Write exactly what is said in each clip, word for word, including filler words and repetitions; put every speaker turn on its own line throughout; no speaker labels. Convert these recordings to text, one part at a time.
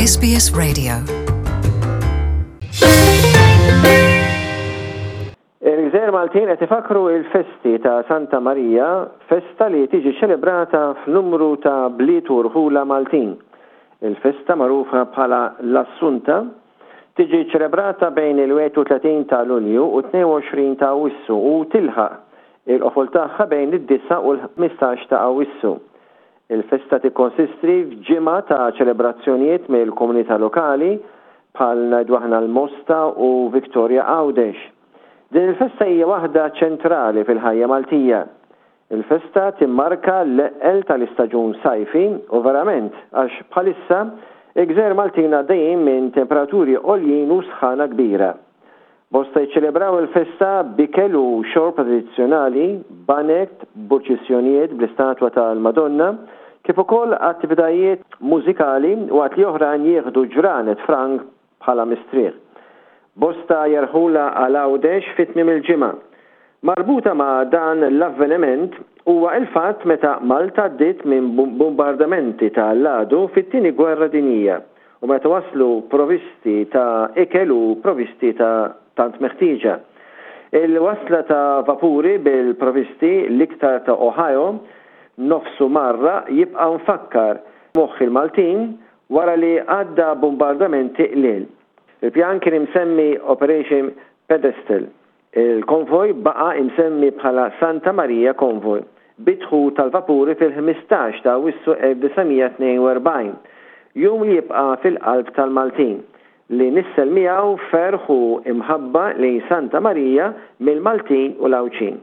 S B S Radio.
Il-Gżejjer Maltin qed ifakru il-festi ta' Santa Marija, festa li tiġi ċelebrata f'numru ta' bliet u rħula Maltin. Il-festa, magħrufa bħala l-Assunta, tiġi ċelebrata bejn il-wieħed u tletin ta' Lulju u tnejn u għoxrin ta' Awwissu u tilħaq il-qofol tagħha bejn id-disgħa u l-ħmistax ta' Awwissu. Il-festa tikkonsisti f'ġimgħa ta' ċelebrazzjonijiet mill-komunità lokali, bħal ngħidu aħna l-Mosta u Victoria Għawdex. Din il-festa hija waħda ċentrali fil-ħajja Maltija. Il-festa timmarka l-eqqel tal-istaġun sajfi u verament, għax bħalissa il-Gżejjer Maltin għaddejjin minn temperaturi għoljin u sħana kbira. Bosta jiċċelebraw il-festa b'ikel u xorb tradizzjonali, baned, purċissjonijiet bl-istatwa tal-Madonna, kif ukoll attivitajiet mużikali, waqt li oħrajn jieħdu ġranet frank bħala mistrieħ. Bosta jerħula għal Għawdex fit-tmiem il-ġimgħa. Marbuta ma' dan l-avveniment huwa il-fatt meta Malta għaddiet minn bombardamenti ta' l-għadu fit-Tieni Gwerra Dinjija u meta waslu provisti ta' ikel u provisti ta' tant meħtieġa. Il-wasla ta' vapuri bil-provisti, l-iktar ta' Ohio, nofsu marra, jibqa' mfakkar moħħ il-Maltin wara li għadda bombardamenti qliel. Il-pjan kien imsemmi Operation Pedestal. Il-konvoj baqa imsemmi bħala Santa Maria Convoy bid-dħul tal-vapuri fil-ħmistax ta' Awwissu elf disa' mija tnejn u erbgħin, jum li jibqa' fil-qalb tal-Maltin, li nissel miegħu ferħ u imħabba lejn Santa Marija mill-Maltin u l-Għawdxin.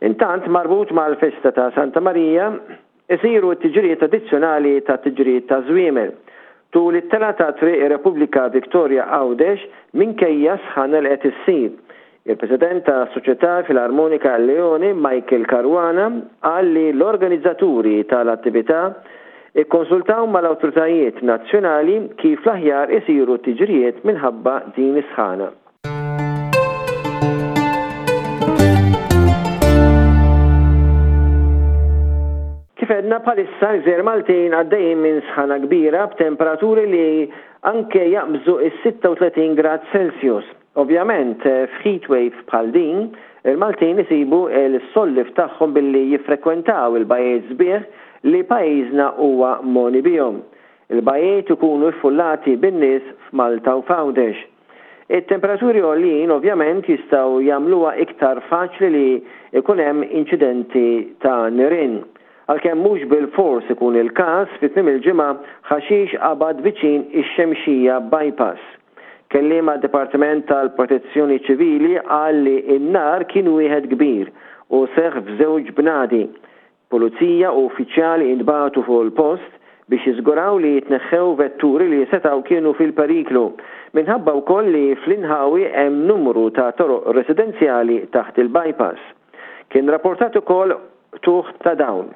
Intant, marbut mal-festa ta' Santa Marija isiru t-tiġrijiet tradizzjonali ta' tiġrijiet ta' żwiemel tul it-telgħa ta' Triq ir-Repubblika Victoria Għawdex, minkejja sħana li qed issir. Il-President ta' Soċjetà Filarmonika Leone, Michael Caruana, qal li l-organizzaturi tal-attività ikkonsultaw mal-awtoritajiet nazzjonali kif l-aħjar isiru t-tiġrijiet minħabba din is-sħana. Kif għedna, bħalissa l-Gżejjer Maltin għaddejjin minn sħana kbira b'temperaturi li anke jaqbżu is-sitta u tletin grad Celsius. Ovvjament, f'heatwave bħal din, il-Maltin isibu il-solliev tagħhom billi jiffrekwentaw il-bajjiet sbieħ li pajjiżna huwa mogħni bihom. Il-bajjiet ikunu ffullati bin-nies f'Malta u f'Għawdex. Il-temperaturi għoljin ovvjament jistgħu jagħmluha iktar faċli li ikun hemm inċidenti ta' nirien. Għalkemm mhux bil-fors ikun il-każ, fit-tmiem il-ġimgħa ħaxix qabad viċin ix-Xemxija Bypass. Kelliem għad-Dipartiment tal-Protezzjoni Ċivili qal li n-nar kien wieħed kbir u seħ f'żewġ bnadi. Pulizija u uffiċjali intbagħtu fuq il-post biex jiżguraw li jitneħħew vetturi li setaw kienu fil-periklu, minħabba wkoll li fl-inħawi hemm numru ta' toroq residenzjali taħt il-bypass. Kien rapportat ukoll qtugħ ta' dawl.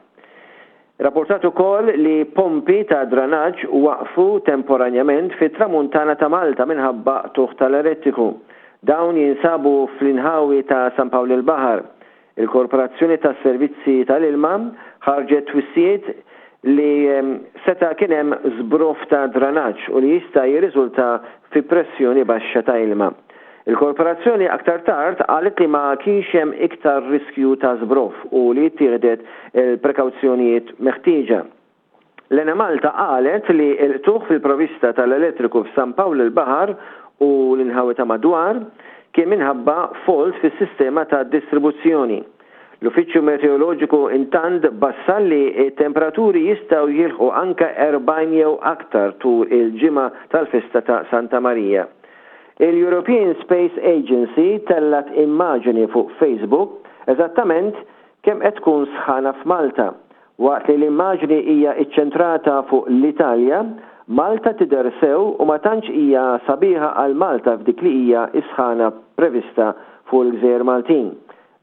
Rapportat ukoll li pompi ta' dranaġġ waqfu temporanjament fit-tramuntana ta' Malta minħabba qtugħ tal-elettriku. Dawn jinsabu fl-inħawi ta' San Pawl il-Baħar. Il-Korporazzjoni tas Servizzi tal-Ilma ħarġet twissijiet li seta' kien hemm żbroff ta' dranaġġ u li jista' jirriżulta fi pressjoni baxxa ta' ilma. Il-korporazzjoni aktar tard qalet li ma kienx hemm iktar riskju ta' żbroff u li ttieħdet il-prekawzjonijiet meħtieġa. L-Enemalta qalet li l-qtugħ fil-provista tal-elettriku f'San Pawl il-Baħar u l-inħawi ta' madwar kien minħabba fault fis-sistema ta' distribuzzjoni. L-Uffiċċju Meteoroloġiku intant bassar li temperaturi jistgħu jilħqu anka erbgħin jew aktar tul il-ġimgħa tal-festa ta' Santa Marija. Il-European Space Agency tellat immaġini fuq Facebook eżattament kemm qed tkun sħana f'Malta. Waqt li l-immaġni hija iċċentrata fuq l-Italja, Malta tidher sew u ma tantx hija sabiħa għal Malta f'dik li hija isħana prevista fuq il-Gżejjer Maltin.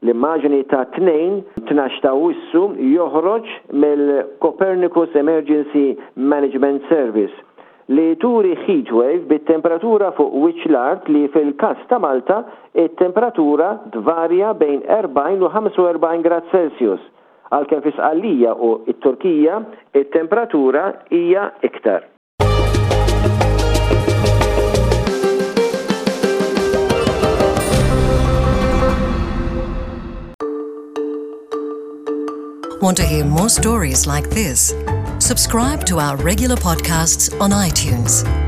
L-immaġni ta' Tnejn, tnax ta' Awwissu, joħroġ mill-Copernicus Emergency Management Service li turi heatwave bit-temperatura fuq wiċċ l-art, li fil-kas ta' Malta it-temperatura tvarja bejn erbgħin u ħamsa u erbgħin grad Celsius, għalkemm fi Sqallija u t-Turkija it-temperatura hija iktar.
Want to hear more stories like this? Subscribe to our regular podcasts on iTunes.